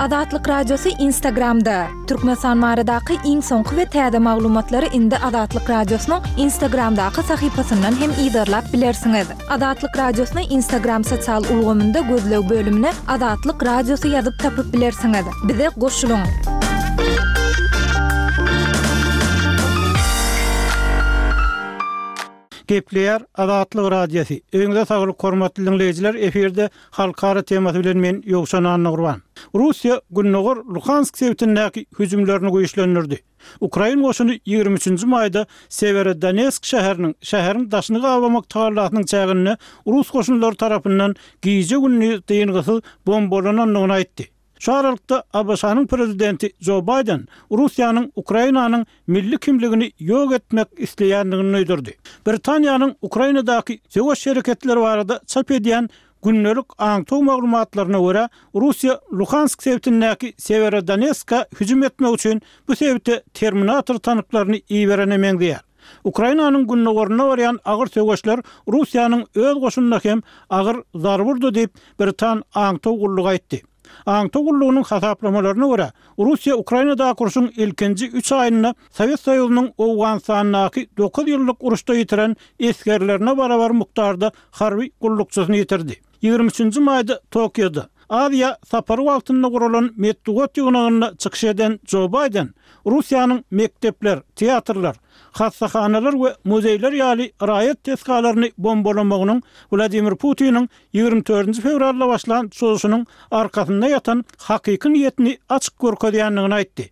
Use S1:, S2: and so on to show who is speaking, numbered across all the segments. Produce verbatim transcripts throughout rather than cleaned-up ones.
S1: Azatlyk Radiosy Instagramda. Türkmenistan baradaky iň soňky we täze maglumatlary indi Azatlyk Radiosynyň Instagramdaky sahypasyndan hem yzarlap bilersiňiz. Azatlyk Radiosyny Instagram sosial ulgamynda gözleg bölümine Azatlyk Radiosy ýazyp tapyp bilersiňiz. Bize goşulyň.
S2: Gepleýär Azatlyk Radiosy. Öňüňize saglyk hormatly diňleýjiler, efirde halkara temasy bilen men Ýowşan Annagurban. Russiýa Gündogar Luhansk sebitindäki hüjümlerini güýçlendirdi. Ukrain goşuny ýigrimi üçünji maýda Sewerodonetsk şäheriniň şäheriň daşyny gabamak tagallasynyň çäginde rus goşunlary tarapyndan gije-gündiz dyngysyz bombalanandygyny aýtdy. Şu aralykda, ABŞ-nyň prezidenti Jo Baýden Russiýanyň Ukrainanyň milli kimligini ýok etmek isleýändigini duýdurdy. Britaniýanyň Ukrainadaky söweş hereketleri barada çap edýän gündelik aňtaw maglumatlaryna görä, Russiýa Luhansk sebitindäki Sewerodonetska hüjüm etmek üçin bu sebite Terminator tanklaryny iberene meňzeýär. Ukrainanyň gündogarynda barýan agyr söweşler Russiýanyň öz goşunyna hem agyr zarba urdy diýip, britan aňtaw gullugy aýtdy. Aňtaw gullugynyň hasaplamalaryna görä, Russiýa Ukrainadaky urşuň ilkinji üç aýynda Sowet Soýuzynyň Owganystandaky dokuz ýyllyk uruşda ýitiren esgerlerine barabar mukdarda harby gullukçysyny ýitirdi. Ýigrimi üçünji maýda Tokioda, Aziýa sapary wagtynda guralan metbugat ýygnagynda çykyş eden Jo Baýden Russiýanyň mekdepler, teatrlar, hassahanalar we muzeýler ýaly raýat desgalaryny bombalamagynyň Wladimir Putiniň ýigrimi dördünji fewralda başlan çozuşynyň arkasynda ýatan hakyky niýetini açyk görkezýändigini aýtdy.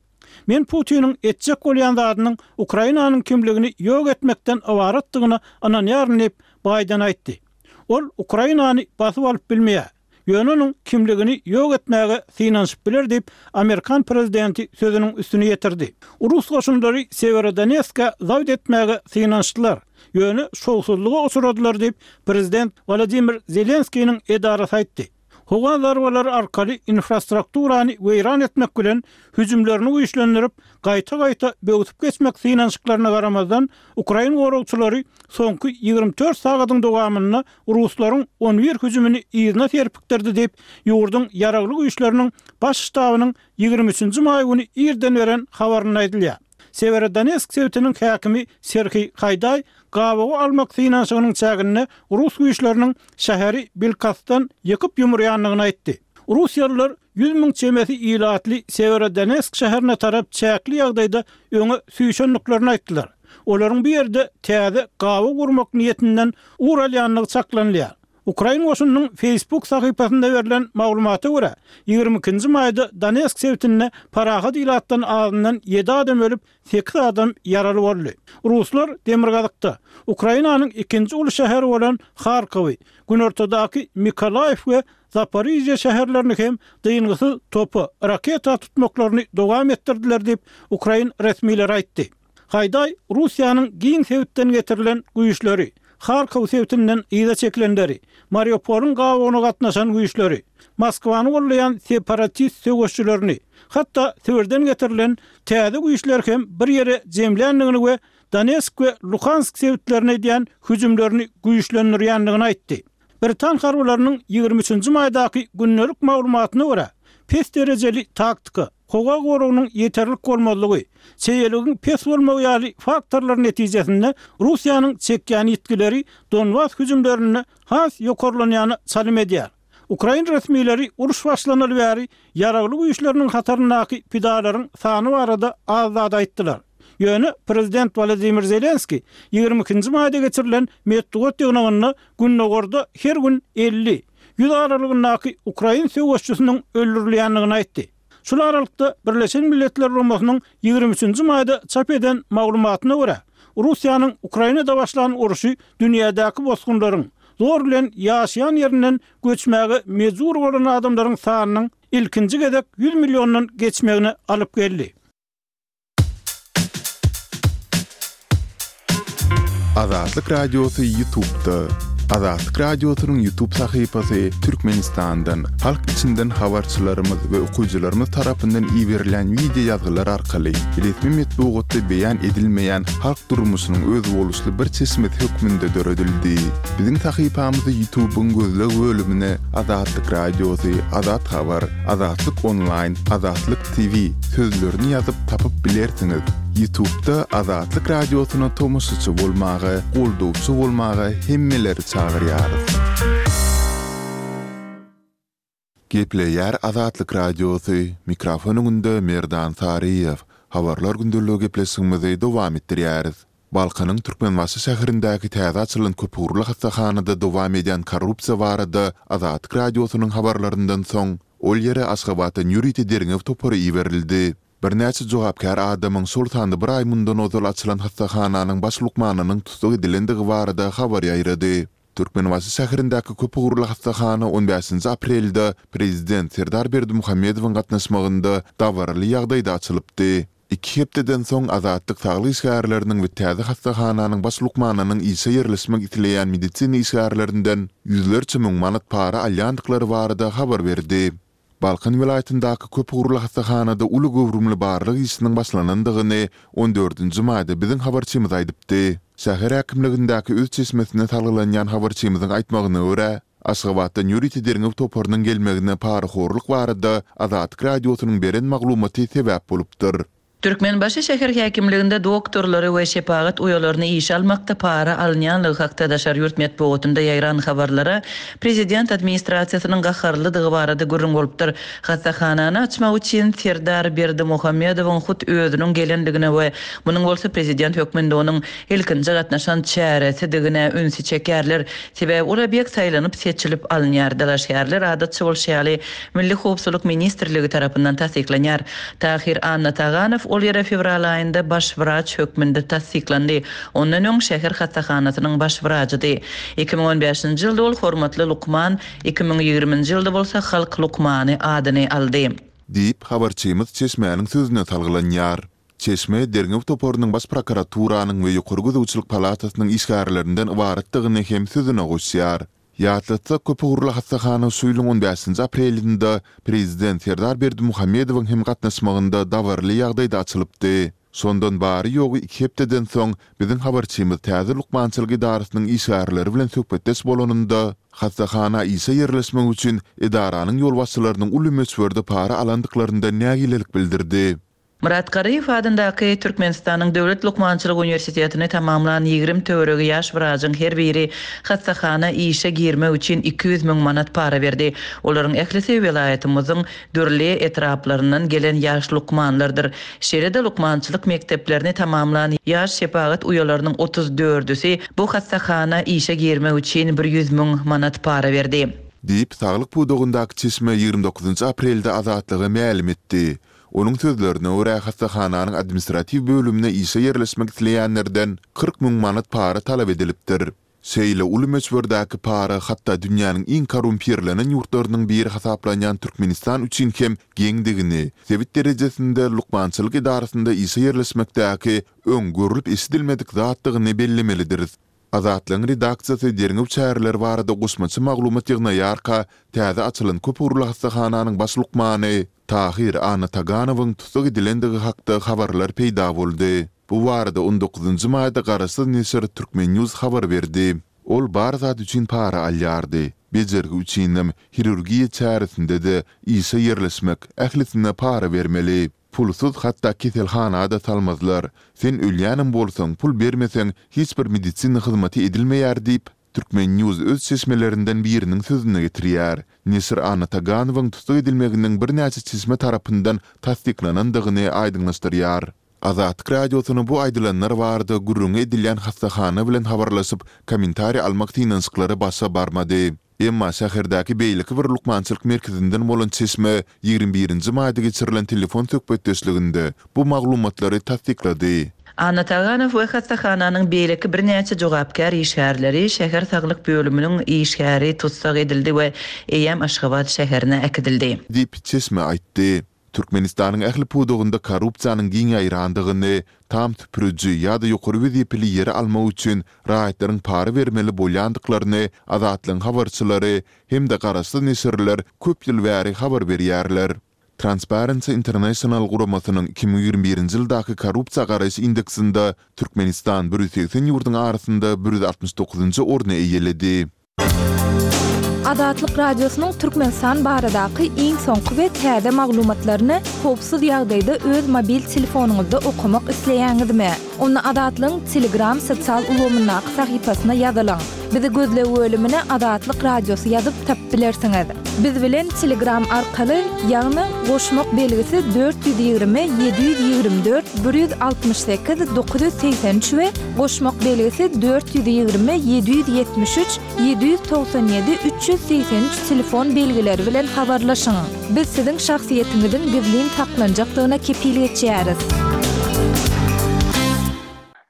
S2: Men Putiniň etjek bolýan zadynyň Ukrainanyň kimligini ýok etmekden ybaratdygyna ynanýaryn diýip, Baýden aýtdy. Ol Ukrainany basyp alyp bilmeýär. Ýöne onuň kimligini ýok etmäge synanyşyp biler diýip, amerikan prezidenti sözüniň üstüni ýetirdi. Rus goşunlary Sewerodonetska zabt etmäge synanyşdylar, ýöne şowsuzlyga uçradylar diýip, prezident Wolodymyr Zelenskiniň edarasy aýtdy. Howa zarbalary arkaly infrastrukturany weýran etmek bilen hüjümlerini güýçlendirip, gaýta-gaýta böwsüp geçmek synanyşyklaryna garamazdan, ukrain goragçylary soňky ýigrimi dört sagadyň dowamynda ruslaryň on bir hüjümini yzyna serpikdirdi diýip, ýurduň Ýaragly Güýçleriniň Baş ştabynyň ýigrimi üçünji maý güni irden beren habarynda aýdylýar. Sewerodonetsk sebitiniň häkimi Serhiý Haýdaý gabawa almak synanyşygynyň çäginde rus güýçleriniň şäheri bilkastdan ýykyp-ýumurýandygyny aýtdy. Russiýalylar ýüz müň çemesi ilatly Sewerodonetsk şäherine tarap çäkli ýagdaýda öňe süýşendiklerini aýtdylar. Olaryň bu ýerde täze gabaw gurmak niýetinden ugur alýandygy çaklanylýar. Ukrain goşunynyň Facebook sahypasynda berlen maglumata görä, ýigrimi ikinji maýda Donetsk sebitinde parahat ilatdan azyndan ýedi adam ölüp, sekiz adam ýaraly boldy. Ruslar demirgazykda, Ukrainanyň ikinji uly şäheri bolan Harkowy, günortadaky Mykolaýiw we Zaporižýa şäherlerini hem dyngysyz topa, raketa tutmaklaryny dowam etdirdiler diýip, ukrain resmileri aýtdy. Haýdaý Russiýanyň giň sebitden getirilen güýçleri, Harkow sebitinden yza çekilenleri, Mariupolyň gabawyna gatnaşan güýçleri, Moskwany goldaýan separatist söweşçilerini, hatda Sibirden getirilen täze güýçleri hem bir ýere jemländigini we Donetsk we Luhansk sebitlerine edýän hüjümlerini güýçlendirýändigini aýtdy. Britan harbylarynyň ýigrimi üçünji maýdaky gündelik maglumatyna görä, pes derejeli taktika, howa goragynyň ýeterlik bolmazlygy, çeýeligiň pes bolmagy ýaly faktorlar netijesinde Russiýanyň çekýän ýitgileri Donbas hüjümlerinde has ýokarlanýana çalym edýär. Ukrain resmileri uruş başlanaly bäri ýaragly güýçleriniň hataryndaky pidalaryň sany barada az zat aýtdylar. Ýöne prezident Wolodymyr Zelenskiý ýigrimi ikinji maýda geçirilen metbugat ýygnagynda gündogarda her gün elli, ýüz aralygyndaky ukrain söweşçisiniň öldürilýändigini aýtdy. Şul aralykda, Birleşen Milletler Guramasynyň ýigrimi üçünji maýda çap eden maglumatyna görä, Russiýanyň Ukrainada başlan urşy dünýädäki bosgunlaryň, zor bilen ýaşaýan ýerinden göçmäge mejbur bolan adamlaryň sanynyň ilkinji gezek ýüz milliondan geçmegine alyp geldi.
S3: Azatlyk Radiosy YouTube'da. Azatlyk Radiosynyň YouTube sahypasy Türkmenistandan, halk içinden habarçylarymyz we okyjylarymyz tarapyndan iberilýän wideo ýazgylar arkaly resmi metbugatda beýan edilmeýän halk durmuşynyň özboluşly bir çeşmesi hökmünde döredildi. Biziň sahypamyzy YouTube-yň gözleg bölümine Azatlyk Radiosy, Azat Habar, Azatlyk Onlaýn, Azatlyk T V sözlerini ýazyp tapyp bilersiňiz. YouTube-da Azatlyk Radiosyna tomaşaçy bolmaga, goldawçy bolmaga hemmeleri çagyrýarys. Gepleýär Azatlyk Radiosy, mikrofon öňünde Merdan Saryýew. Habarlar gündeligi gepleşigimizi dowam etdirýäris. Balkanyň Türkmenbaşy şäherindäki täze açylan köpugurly hassahanada dowam edýän korrupsiýa barada Azatlyk Radiosynyň habarlaryndan soň, ol ýere Aşgabatdan ýörite derňew topary iberildi. Birnäçe jogapkär adamyň, şol sanda bir aý mundan ozal açylan hassahananyň baş lukmanynyň tussag edilendigi barada habar ýaýrady. Türkmenbaşy şäherindäki köpugurly hassahana on bäşinji aprelde prezident Serdar Berdimuhamedowyň gatnaşmagynda dabaraly ýagdaýda açylypdy. Iki hepdeden soň Azatlyk saglyk işgärleriniň we täze hassahananyň baş lukmanynyň işe ýerleşmek isleýän medisina işgärlerinden ýüzlerçe müň manat para alýandyklary barada habar berdi. Balkan welaýatyndaky köpugurly hassahanada uly göwrümli barlag işiniň başlanandygyny on dördünji maýda biziň habarçymyz aýdypdy. Şäher häkimligindäki öz çeşmesine salgylanýan habarçymyzyň aýtmagyna görä, Aşgabatdan ýörite derňew toparynyň gelmegine parahorluk barada Azatlyk Radiosynyň beren maglumaty sebäp bolupdyr.
S4: Türkmenbaşy şäher häkimliginde doktorlary we şepagat uýalaryny işe almakda para alynýanlygy hakda daşary ýurt metbugatynda ýaýran habarlara prezident administrasiýasynyň gaharlydygy barada gürrüň bolupdyr. Hassahanany açmak üçin Serdar Berdimuhamedowyň hut özüniň gelendigine we munuň bolsa prezident hökmünde onuň ilkinji gatnaşan çäresidigine ünsi çekerler. Sebäbi ol obýekt saýlanyp seçilip alynýar. Dalaşgärler adatça bolşy ýaly Milli Howpsuzlyk ministrligi tarapyndan tassyklanýar. Tahir Annataganow ol ýere fewral aýynda baş wraç hökmünde tassyklandy. Ondan öň şäher hassahanasynyň baş wrajydy. Iki müň on bäşinji ýylda ol hormatly lukman, iki müň ýigriminji ýylda bolsa halk lukmany adyny aldy.
S3: Diýip, habarçymyz çeşmäniň sözüne salgylanýar. Çeşme derňew toparynyň baş prokuraturanyň we ýokary gözegçilik palatasynyň işgärlerinden ybaratdygyny hem sözüne goşýar. Ýatlatsak, köpugurly hassahana şu ýylyň on bäşinji aprelinde prezident Serdar Berdimuhamedowyň hem gatnaşmagynda dabaraly ýagdaýda açylypdy. Şondan bary ýogy iki hepdeden soň biziň habarçymyz täze lukmançylyk edarasynyň işgärleri bilen söhbetdeş bolanynda hassahana işe ýerleşmek üçin edaranyň ýolbaşçylarynyň uly möçberde para alandyklaryndan nägilelik bildirdi.
S4: Murat Garyýew adyndaky Türkmenistanyň Döwlet Lukmançylyk Uniwersitetini tamamlan ýigrimi töweregi ýaş wrajyň her biri hassahana işe girmek üçin iki ýüz müň manat para berdi. Olaryň ählisi welaýatymyzyň dürli etraplaryndan gelen ýaş lukmanlardyr. Şeýle-de lukmançylyk mekdeplerini tamamlan ýaş şepagat uýalarynyň otuz dördüsi bu hassahana işe girmek üçin bir ýüz müň manat para berdi.
S3: Diýip, saglyk pudagyndaky çeşme ýigrimi dokuzynjy aprelde Azatlyga mälim etdi. Onuň sözlerine görä, hassahananyň administratiw bölümine işe ýerleşmek isleýänlerden kyrk müň manat para talap edilipdir. Şeýle uly möçberdäki para hatda dünýäniň iň korrumpirlenen ýurtlarynyň biri hasaplanýan Türkmenistan üçin hem geňdigini, sebit derejesinde lukmançylyk edarasynda işe ýerleşmekdäki öň görlüp eşidilmedik zatdygyny bellemelidiris. Azatlygyň redaksiýasy derňew çäreleri barada goşmaça maglumat ýygnaýarka, täze açylan köpugurly hassahananyň baş lukmany Tahir Annataganowyň tussag edilendigi hakda habarlar peýda boldy. Bu barada on dokuzynjy maýda garaşsyz neşir Türkmen News habar berdi. Ol bar zat üçin para alýardy. Bejergi üçinem, hirurgiýa çäresinde-de işe ýerleşmek, ählisine para bermeli. Pulsuz hatda keselhana-da salmazlar. Sen ölýänem bolsaň, pul bermeseň, hiç bir medisina hyzmaty edilmeýär diýip, Türkmen News öz çeşmelerinden biriniň sözüne getirýär. Neşir Annataganowyň tussag edilmeginiň birnäçe çeşme tarapyndan tassyklanandygyny aýdyňlaşdyrýar. Azatlyk Radiosyna bu aýdylanlar barada gürrüňi edilýän hassahana bilen habarlaşyp, kommentariý almak synanyşyklary başa barmady. Emma şäherdäki beýleki bir lukmançylyk merkezinden bolan çeşme ýigrimi birinji maýda geçirilen telefon söhbetdeşliginde bu maglumatlary tassyklady.
S4: Annataganow we hassahananyň beýleki birnäçe jogapkär işgärleri şäher saglyk bölüminiň işgäri tussag edildi we eýýäm Aşgabat şäherine äkidildi.
S3: Diýip çeşme aýtdy. Türkmenistanyň ähli pudagynda korrupsiýanyň giň ýaýrandygyny, tam süpüriji ýa-da ýokary wezipeli ýeri almak üçin raýatlaryň para bermeli bolýandyklaryny Azatlygyň habarçylary hem-de garaşsyz neşirler köp ýyl bäri habar berýärler. Transparency International guramasynyň iki müň ýigrimi birinji ýyldaky korrupsiýa garaýyş indeksinde Türkmenistan bir ýüz segsen ýurduň arasynda bir ýüz altmyş dokuzynjy orny eýeledi.
S1: Azatlyk Radiosynyň Türkmenistan baradaky iň soňky we täze maglumatlaryny howpsuz ýagdaýda öz mobil telefonyňyzda okamak isleýäňizmi? Onda Azatlygyň Telegram sosial ulgamyndaky sahypasyna ýazylyň. Bizi gözleg bölümine Azatlyk Radiosy ýazyp tapyp bilersiňiz. Biz bilen Telegram arkaly, ýagny goşmak belgisi dört ýüz ýigrimi ýedi ýüz ýigrimi dört bir ýüz altmyş sekiz dokuz ýüz segsen üç we goşmak belgisi dört ýüz ýigrimi ýedi ýüz ýetmiş üç ýedi ýüz togsan ýedi üç ýüz segsen üç telefon belgileri bilen habarlaşyň. Biz siziň şahsyýetiňiziň gizlin saklanjakdygyna kepil geçýäris.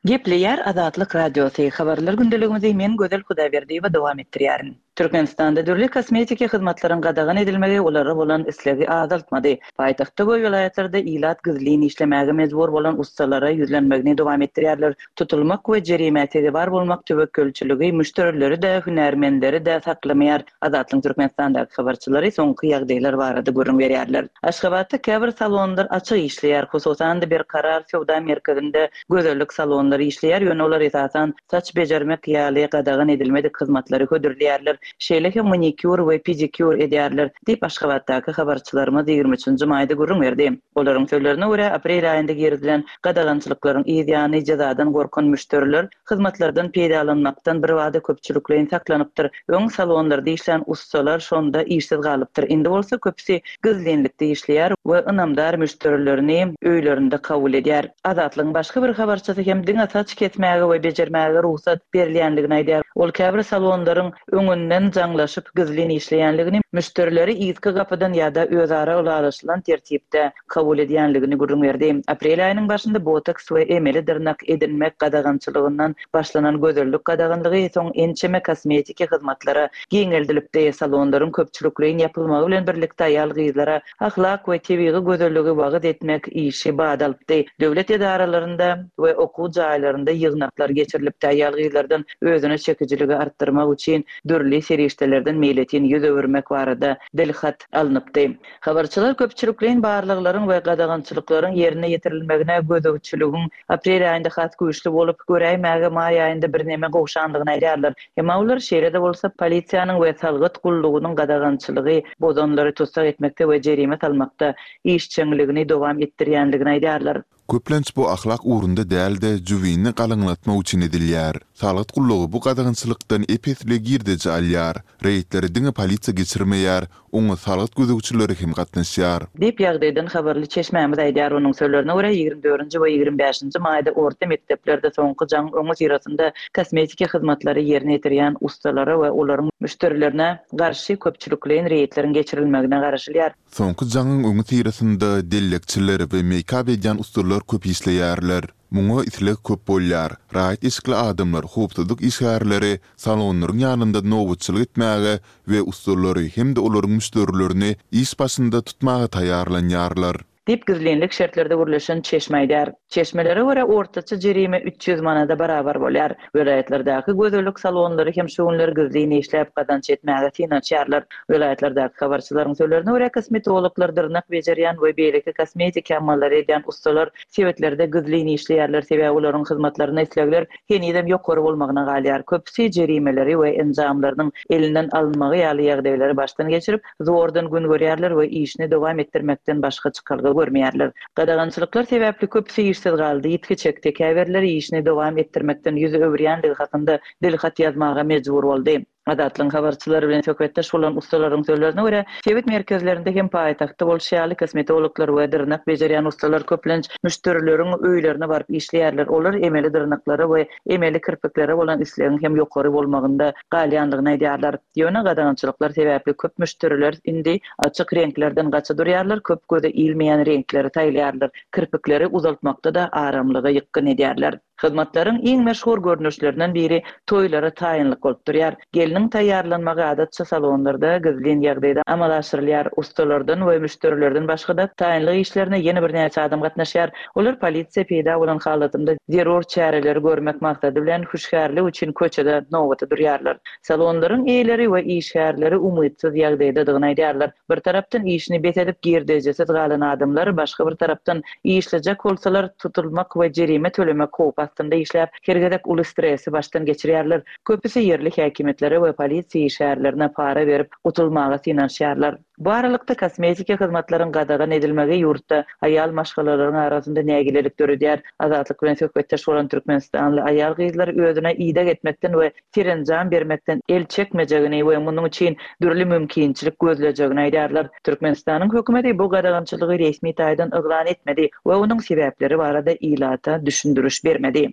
S4: Gepleýär Azatlyk Radiosy, Habarlar gündeligimizi men Gözel Hudaýberdiýewa dowam etdirýärin. Türkmenistanda dürli kosmetiki hyzmatlaryň gadagan edilmegi olara bolan islegi azaltmady. Paýtagtda we welaýatlarda ilat gizlin işlemäge mejbur bolan ussalara ýüzlenmegini dowam etdirýärler. Tutulmak we jerimä sezewar bolmak töwekgelçiligi müşderileri-de, hünärmenleri-de saklamaýar. Azatlygyň Türkmenistandaky habarçylary soňky ýagdaýlar barada gürrüň berýärler. Aşgabatda käbir salonlar açyk işleýär, hususan-da Berkarar söwda merkezinde gözellik salonlary işleýär, ýöne olar esasan saç bejermek ýaly gadagan edilmedik hyzmatlary hödürleýärler, şeýle hem manikýur we pedikýur edýärler, diýip, Aşgabatdaky habarçylarymyz ýigrimi üçünji maýda gürrüň berdi. Olaryň sözlerine görä, aprel aýynda girizilen gadagançylyklaryň yz ýany jezadan gorkan müşderiler hyzmatlardan peýdalanmakdan birbada köpçülikleýin saklanypdyr. Öň salonlarda işlän ussalar şonda işsiz galypdyr. Indi bolsa köpüsi gizlinlikde işleýär we ynamdar müşderilerini öýlerinde kabul edýär. Azatlygyň başga bir habarçysy hem diňe saç kesmäge we bejermäge rugsat berilýändigini aýdýar. Ol käbir salonlaryň öňünden jaňlaşyp gizlin işleýänligini, müşderileri yzky gapydan ýa-da özara ylalaşylan tertipde kabul edýänligini gürrüň berdi. Aprel aýynyň başynda botoks we emeli dyrnak edinmek gadagançylygyndan başlanan gözellik gadaganlygy soň ençeme kosmetiki hyzmatlara giňeldilipdi. Salonlaryň köpçülikleýin ýapylmagy bilen birlikde aýal-gyzlara ahlak we tebigy gözelligi wagyz etmek işi bat alypdy. Döwlet edaralarynda we okuw jaýlarynda ýygnaklar geçirilipdi. Aýal-gyzlardan özüne çekijiligi artdyrmak üçin dürli serişdelerden meýletin ýüz öwürmek barada dilhat alnypdy. Habarçylar köpçülikleýin barlaglaryň we gadagançylyklaryň ýerine ýetirilmegine gözegçiligiň aprel aýynda has güýçli bolup, göräýmäge maý aýynda birneme gowşandygyny aýdýarlar. Emma olar şeýle-de bolsa polisiýanyň we salgyt gullugynyň gadagançylygy bozanlary tussag etmekde we jerime salmakda işjeňligini dowam etdirýändigini aýdýarlar.
S3: Köplenç bu ahlak ugrunda däl-de, jübini galyňlatmak üçin edilýär. Salgyt gullugy bu gadagançylykdan ep-esli girdeji alýar. Reýdleri diňe polisiýa geçirmeýär, oňa salgyt gözegçileri hem gatnaşýar.
S4: Diýip, ýagdaýdan habarly çeşmämiz aýdýar. Onuň sözlerine görä, ýigrimi dördünji we ýigrimi bäşinji maýda orta mekdeplerde soňky jaňyň öňüsyrasynda kosmetiki hyzmatlary ýerine ýetirýän ussalara we olaryň müşderilerine garşy köpçülikleýin reýdleriň geçirilmegine garaşylýar.
S3: Soňky jaňyň öňüsyrasynda dellekçiler we meýkap edýän ussalar köp işleýärler. Muňa isleg köp bolýar. Raýat eşikli adamlar, howpsuzlyk işgärleri salonlaryň ýanynda nobatçylyk etmäge we ussalary hem-de olaryň müşderilerini iş başynda tutmaga taýýarlanýarlar.
S4: Diýip, gizlinlik şertlerde gürleşen çeşme aýdýar. Çeşmelere görä, ortaça jerime üç ýüz manada barabar bolýar. Welaýatlardaky gözellik salonlary hem şu günler gizlin işläp gazanç etmäge synanyşýarlar. Welaýatlardaky habarçylaryň sözlerine görä, kosmetologlar, dyrnak bejerýän we beýleki kosmetiki amallary edýän ussalar sebitlerde gizlin işleýärler, sebäbi olaryň hyzmatlaryna islegler henizem ýokary bolmagyna galýar. Köpüsi jerimeleri we enjamlarynyň elinden alynmagy ýaly ýagdaýlary başdan geçirip, zordan gün görýärler we işini dowam etdirmekden başga çykalga görmeýärler. Gadagançylyklar sebäpli köpüsi işsiz galdy, ýitgi çekdi, käbirleri işini dowam etdirmekden ýüz öwürýändigi hakynda dilhat ýazmaga mejbur boldy. Azatlygyň habarçylary bilen söhbetdeş bolan ussalaryň sözlerine görä, sebit merkezlerinde hem paýtagtda bolşy ýaly kosmetologlar we dyrnak bejerýän ussalar köplenç müşderileriň öýlerine baryp işleýärler. Olar emeli dyrnaklara we emeli kirpiklere bolan islegiň hem ýokary bolmagynda galýandygyny aýdýarlar. Ýöne gadagançylyklar sebäpli köp müşderiler indi açyk reňklerden gaça durýarlar, köp göze ilmeýän reňkleri saýlaýarlar, kirpikleri uzaltmakda-da aramlyga ýykgyn edýärler. Hyzmatlaryň iň meşhur görnüşlerinden biri toýlara taýynlyk bolup durýar. Gelniň taýýarlanmagy adatça salonlarda gizlin ýagdaýda amala aşyrylýar. Ussalardan we müşderilerden başga-da taýynlyk işlerine ýene birnäçe adam gatnaşýar. Olar polisiýa peýda bolan halatynda zerur çäreleri görmek maksady bilen hüşgärlik üçin köçede nobata durýarlar. Salonlaryň eýeleri we işgärleri umytsyz ýagdaýdadygyny aýdýarlar. Bir tarapdan işini bes edip girdejisiz galan adamlar, başga bir tarapdan işlejek bolsalar tutulmak we jerime tölemek howpy astynda işläp, her gezek uly stresi başdan geçirýärler. Köpüsi ýerli häkimiýetlere we polisiýa işgärlerine para berip gutulmaga synanyşýarlar. Bu aralykda kosmetiki hyzmatlaryň gadagan edilmegi ýurtda aýal maşgalalaryň arasynda nägilelik döredýär. Azatlyk bilen söhbetdeş bolan türkmenistanly aýal gyzlar özüne ideg etmekden we serenjam bermekden el çekmejegini we munuň üçin dürli mümkinçilik gözlejegini aýdýarlar. Türkmenistanyň hökümeti bu gadagançylygy resmi taýdan yglan etmedi we onuň sebäpleri barada ilata düşündiriş bermedi.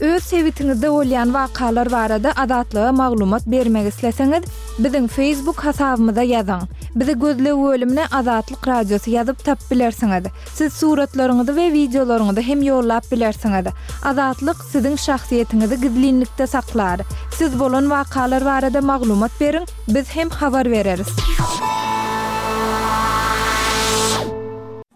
S1: Öz sebitiňizde bolýan wakalar barada Azatlyga maglumat bermek isleseňiz, biziň Facebook hasabymyza ýazyň. Bizi gözleg bölümine Azatlyk Radiosy ýazyp tapyp bilersiňiz. Siz suratlaryňyzy we wideolaryňyzy hem ýollap bilersiňiz. Azatlyk siziň şahsyýetiňizi gizlinlikde saklar. Siz bolan wakalar barada maglumat beriň, biz hem habar bereris.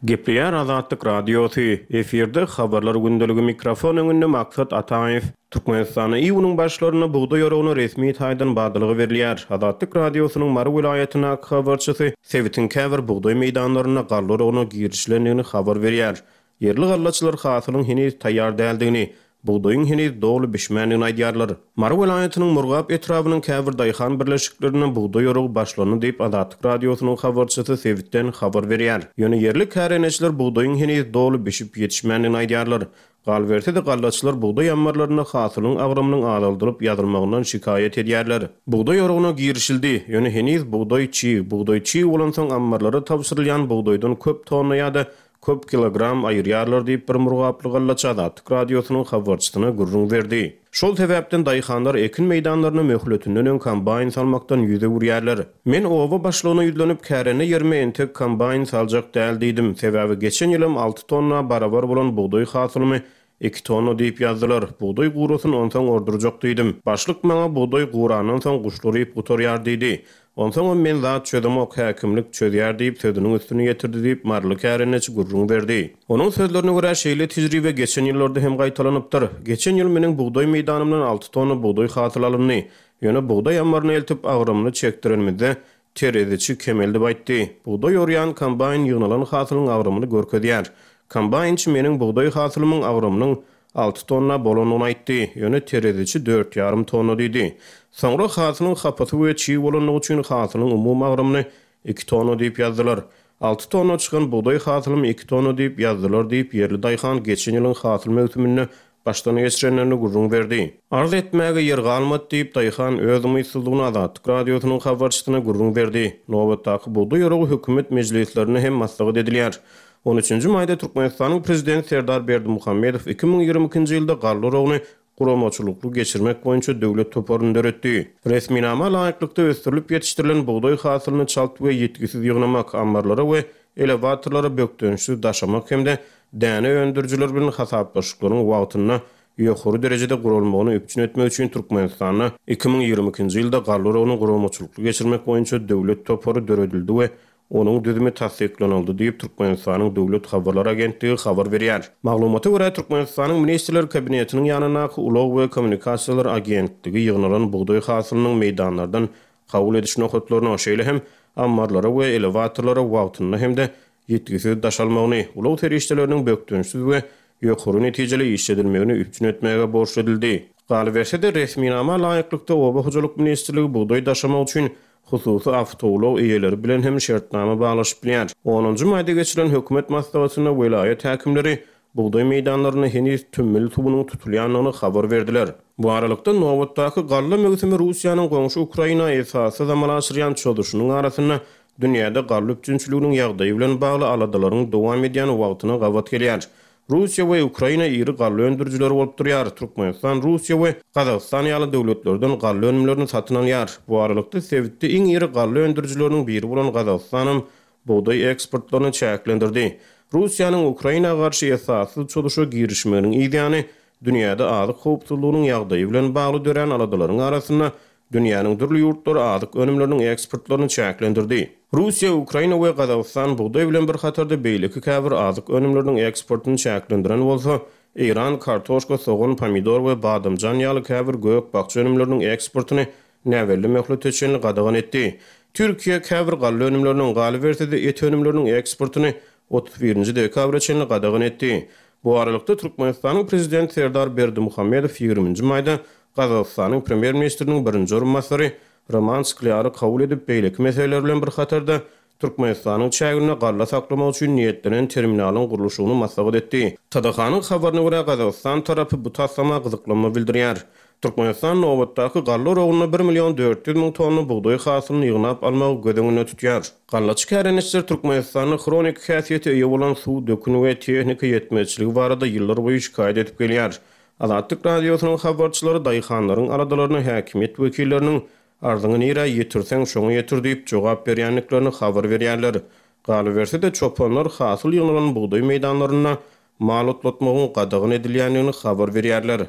S5: Gepleýär Azatlyk Radiosy. Efirde habarlar gündeligi mikrofon öňünde Maksat Ataýew. Türkmenistanda iýunyň başlarynda bugdaý oragyna resmi taýdan badalga berilýär. Azatlyk Radiosynyň Mary welaýatyndaky habarçysy sebitiň käbir bugdaý meýdanlarynda galla oragyna girişilendigini habar berýär. Ýerli gallaçylar hasylyň heniz taýýar däldigini, bugdaýyň heniz doly bişmändigini aýdýarlar. Mary welaýatynyň Murgap etrabynyň käbir daýhan birleşiklerinde bugdaý oragy başlandy diýip Azatlyk Radiosynyň habarçysy sebitden habar berýär. Ýöne ýerli kärendeçiler bugdaýyň heniz doly bişip ýetişmändigini aýdýarlar. Galyberse-de gallaçylar bugdaý ammarlarynda hasylyň agramynyň azaldylyp ýazylmagyndan şikaýat edýärler. Bugdaý oragyna girişildi. Ýöne heniz bugdaý çig, bugdaý çig bolansoň ammarlara tabşyrylýan bugdaýdan köp tonna ýa-da köp kilogram aýyrýarlar diýip bir murgaply gallaçy Azatlyk Radiosynyň habarçysyna gürrüň berdi. Şol sebäpden daýhanlar ekin meýdanlaryna möhletinden öň kombaýn salmakdan ýüz öwürýärler. Men oba başlygyna ýüzlenip kärende ýerime entek kombaýn saljak däl diýdim. Sebäbi geçen ýylam alty tonna barabar bolan bugdaý hasylymy iki tonna diýip ýazdylar. Bugdaý gurasyn onsoň ordurjak diýdim. Başlyk maňa bugdaý gurandan soň guşlar iýip gutarýar diýdi. Onsoňam men zat çözemok, häkimlik çözýär diýip sözüniň üstüni ýetirdi diýip Maryly kärendeçi gürrüň berdi. Onuň sözlerine görä şeýle tejribe geçen ýyllarda hem gaýtalanypdyr. Geçen ýyl meniň bugdaý meýdanymdan alty tonna bugdaý hasyl alyndy. Ýöne bugdaý ammaryny eltip agramyny çekdirenimizde tereziçi kemeldip aýtdy. Bugdaý orýan kombaýn ýygnalan hasylyň agramyny görkezýär. Kombaýnçy meniň bugdaý hasylymyň agramynyň alty tonna bolanyny aýtdy. Ýöne tereziçi dört ýarym tonna diýdi. Soňra hasylyň hapasy we çig bolanlygy üçin hasylyň umumy agramyny iki tonna diýip ýazdylar. Alty tonna çykan bugdaý hasylymy iki tonna diýip ýazdylar diýip ýerli daýhan geçen ýylyň hasyl möwsüminde başdan geçirenlerini gürrüň berdi. Arz etmäge ýer galmady diýip daýhan öz umytsyzlygyny Azatlyk Radiosynyň habarçysyna gürrüň berdi. Nobatdaky bugdaý oragy hökümet mejlislerinde hem maslahat edilýär. On üçünji maýda Türkmenistanyň prezidenti Serdar Berdimuhamedow iki müň ýigrimi ikinji ýylda galla oragyny guramaçylykly geçirmek boýunça döwlet toparyny döretdi. Resminama laýyklykda ösdürilip ýetişdirilen bugdaý hasylyny çalt we ýetgisiz ýygnamak, ammarlara we elewatorlara bökdençsiz daşamak hem-de däne öndürijiler bilen hasaplaşyklaryň wagtynda ýokary derejede guralmagyny üpjün etmek üçin Türkmenistanda iki müň ýigrimi ikinji ýylda galla oragyny guramaçylykly geçirmek boýunça döwlet topary döredildi we onuň düzümi tassyklanyldy diýip Türkmenistanyň Döwlet Habarlar Agentligi habar berýär. Maglumata görä Türkmenistanyň Ministrler Kabinetiniň ýanyndaky Ulag we Kommunikasiýalar Agentligi ýygnalan bugdaý hasylynyň meýdanlardan kabul ediş nokatlaryna, şeýle hem ammarlara we elewatorlara wagtynda hem-de ýetgisiz daşalmagyny, ulag serişdeleriniň bökdençsiz we ýokary netijeli işledilmegini üpjün etmäge borçly edildi. Galyberse-de resminama laýyklykda Oba hojalyk ministrligi bugdaý daşamak üçin hususy awtoulag eýeleri bilen hem şertnama baglaşyp bilýär. Onunjy maýda geçirilen hökümet maslahatynda welaýat häkimleri bugdaý meýdanlaryna heniz tümmül suwunyň tutulýandygyny habar berdiler. Bu aralykda nobatdaky galla möwsümi Russiýanyň goňşy Ukraina esassyz amala aşyrýan çozuşynyň arasynda dünýäde galla üpjünçiliginiň ýagdaýy bilen bagly aladalaryň dowam edýän wagtyna gabat gelýär. Russiýa we Ukraina iri galla öndürijileri bolup durýar. Türkmenistan, Russiýa we Gazagystan ýaly döwletlerden galla önümlerini satyn alýar. Bu aralykda sebitde iň iri galla öndürijileriniň biri bolan Gazagystanam bugdaý eksportlaryny çäklendirdi. Russiýanyň Ukraina garşy esassyz çozuşa girişmeginiň yzýany dünýäde azyk howpsuzlygynyň ýagdaýy bilen bagly dörän aladalaryň arasynda dünýäniň dürli ýurtlary azyk önümleriniň eksportlaryny çäklendirdi. Russiýa, Ukraina we Gazagystan bugdaý bilen bir hatarda beýleki käbir azyk önümleriniň eksportyny çäklendiren bolsa, Eýran kartoşka, sogan, pomidor we badamjan ýaly käbir gök-bakja önümleriniň eksportyny näbelli möhlete çenli gadagan etdi. Türkiýe käbir galla önümleriniň, galyberse-de et önümleriniň eksportyny otuz birinji dekabra çenli gadagan etdi. Bu aralykda, Türkmenistanyň Prezidenti Serdar Berdimuhamedow ýigriminji maýda Gazagystanyň Premýer-ministriniň birinji orunbasary Roman Sklýary kabul edip, beýleki meseleler bilen bir hatarda, Türkmenistanyň çäginde galla saklamak üçin niýetlenen terminalyň gurluşygyny maslahat etdi. T D H-nyň habaryna görä, Gazagystan tarapy bu taslama gyzyklanma bildirýär. Türkmenistan nobatdaky galla oragynda bir million dört ýüz müň tonna bugdaý hasylyny ýygnap almagy göz öňünde tutýar. Gallaçy kärendeçiler Türkmenistanda hroniki häsiýete eýe bolan suw, dökün we tehnika ýetmezçiligi barada ýyllarboýy şikaýat edip gelýär. Azatlyk Radiosynyň habarçylary daýhanlaryň aladalaryna häkimiýet wekilleriniň arzyňy nirä ýetirseň, şoňa ýetir diýip jogap berýändiklerini habar berýärler. Galyberse-de, çopanlar hasyl ýygnalan bugdaý meýdanlarynda mal otlatmagyň gadagan edilýändigini habar berýärler.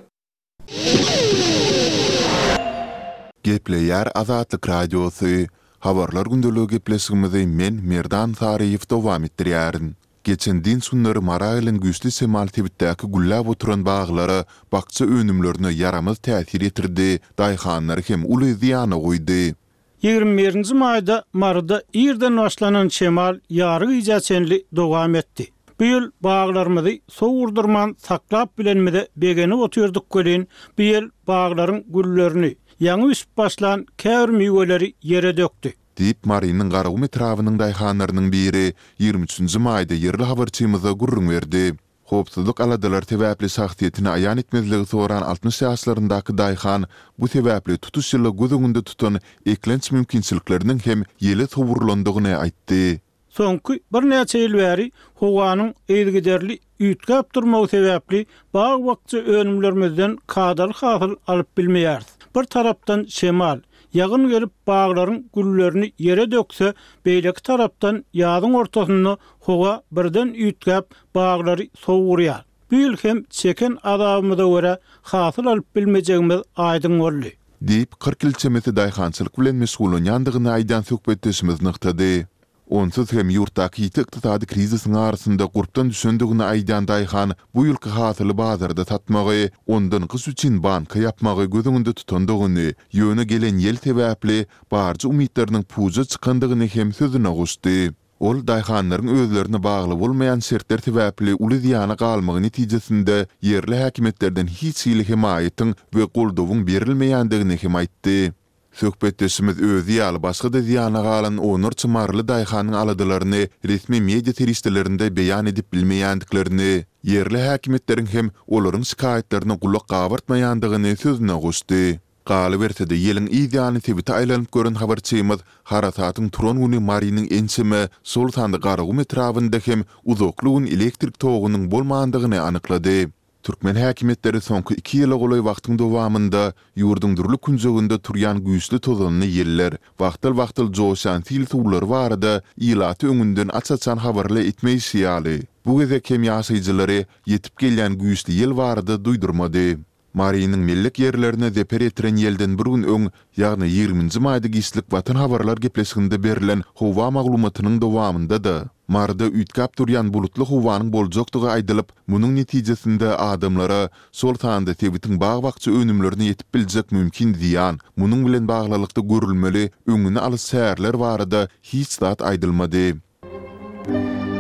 S3: Gepleýär Azatlyk Radiosy, Habarlar gündeligi gepleşigimizi men, Merdan Saryýew dowam etdirýärin. Geçen dynç günleri Mara gelen güýçli şemal sebitdäki gülläp oturan baglara, bakja önümlerine ýaramaz täsir ýetirdi, daýhanlary hem uly zyýana goýdy.
S2: Ýigrimi birinji maýda Maryda irden başlanan şemal ýary gijä çenli dowam etdi. Bu ýyl baglarymyzy sowurdurman saklap bilenimize begenip otyrdyk welin, bu ýel baglaryň güllerini, ýaňy bişip başlan käbir miweleri ýere dökdi.
S3: Diýip, Marynyň Garagum etrabynyň daýhanlarynyň biri ýigrimi üçünji maýda ýerli habarçymyza gürrüň berdi. Howpsuzlyk aladalary sebäpli şahsyýetini aýan etmezligi soran altmyş ýaşlaryndaky daýhan bu sebäpli tutuş ýyla göz öňünde tutan eklenç mümkinçilikleriniň hem ýele sowrulandygyny aýtdy.
S2: Soňky birnäçe ýyl bäri howanyň yzygiderli üýtgäp durmagy sebäpli bag-bakja önümlerimizden kadaly hasyl alyp bilmeýäris. Bir tarapdan şemal, ýagyn gelip baglaryň güllerini ýere dökse, beýleki tarapdan ýazyň ortasynda howa birden üýtgäp baglary sowurýar. Bu ýyl hem çeken azabymyza görä hasyl alyp bilmejegimiz aýdyň boldy.
S3: Diýip, kyrk ýyl çemesi daýhançylyk bilen meşgullanýandygyny aýdýan söhbetdeşimiz nygtady. Onsuz hem ýurtdaky ýiti ykdysady krizisiň arasynda gurpdan düşendigini aýdýan daýhan bu ýylky hasyly bazarda satmagy, ondan gyş üçin banka ýapmagy göz öňünde tutandygyny, ýöne gelen ýel sebäpli barja umytlarynyň puja çykandygyny hem sözüne goşdy. Ol daýhanlaryň özlerine bagly bolmaýan şertler sebäpli uly zyýana galmagy netijesinde ýerli häkimiýetlerden hiç hili hemaýatyň we goldawyň berilmeýändigini hem aýtdy. Söhbetdeşimiz özi ýaly başga-da zyýana galan onlarça maryly daýhanyň aladalaryny resmi media serişdelerinde beýan edip bilmeýändiklerini, ýerli häkimiýetleriň hem olaryň şikaýatlaryna gulak gabartmaýandygyny sözüne goşdy. Galyberse-de, ýeliň yz ýany sebite aýlanyp gören habarçymyz harasatyň turan güni Marynyň ençeme, şol sanda Garagum etrabynda hem uzakly gün elektrik togunyň bolmandygyny anyklady. Türkmen häkimiýetleri soňky iki ýyla golaý wagtyň dowamynda ýurduň dürli künjeginde turýan güýçli tozanly ýeller, wagtal-wagtal joşýan sil suwlary barada ilaty öňünden aç-açan habarly etmeýşi ýaly, bu gezek hem ýaşaýjylary ýetip gelýän güýçli ýel barada duýdurmady. Marynyň mellek ýerlerine zeper ýetiren ýelden bir gün öň, ýagny ýigriminji maýda giçlik Watan habarlar gepleşiginde berlen howa maglumatynyň dowamynda-da, Maryda üýtgäp durýan bulutly howanyň boljakdygy aýdylyp, munuň netijesinde adamlara, şol sanda sebitiň bag-bakja önümlerine ýetip biljek mümkin zyýan, munuň bilen baglylykda görülmeli öňüni alyş çäreler barada hiç zat aýdylmady.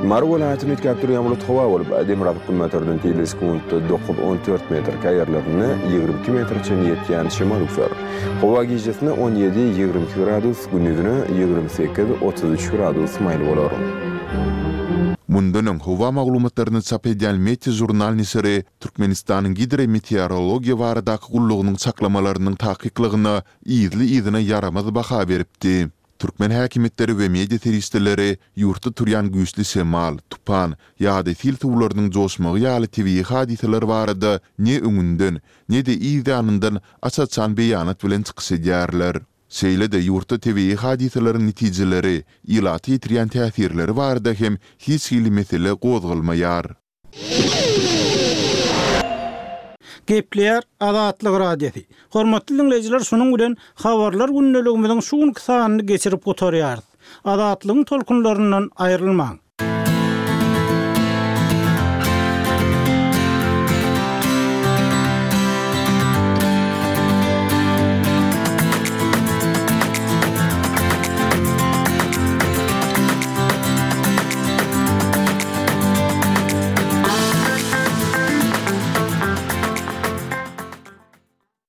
S6: Mary welaýatynda üýtgäp durýan bulut howa bolup, demirgazyk-günbatardan tizligi sekuntda dokuz-on dört metr, käýerlerinde ýigrimi iki metre çenli ýetýän şemal öwser. Howa gijesine on ýedi-ýigrimi iki gradus, gündizine ýigrimi sekiz-otuz üç gradus maýyl bolar.
S3: Mundan öň howa maglumatlaryny çap edýän Meteožurnal neşiri Türkmenistanyň Gidrometeorologiýa baradaky gullugynyň çaklamalarynyň takyklygyna yzly-yzyna ýaramaz baha beripdi. Türkmen häkimiýetleri we media serişdeleri ýurtda turýan güýçli şemal, tupan ýa-da sil suwlarynyň joşmagy ýaly tebigy hadysalar barada ne öňünden, ne-de yz ýanyndan aç-açan beýanat bilen çykyş edýärler. Şeýle-de ýurtda tebigy hadysalaryň netijeleri, ilata ýetirýän täsirleri barada hem hiç hili mesele gozgalmaýar.
S2: Gepleýär Azatlyk Radiosy. Hormatly diňleýjiler, şunuň bilen Habarlar gündeligimiziň şu günki sanyny geçirip gutarýarys. Azatlygyň tolkunlaryndan aýrylmaň.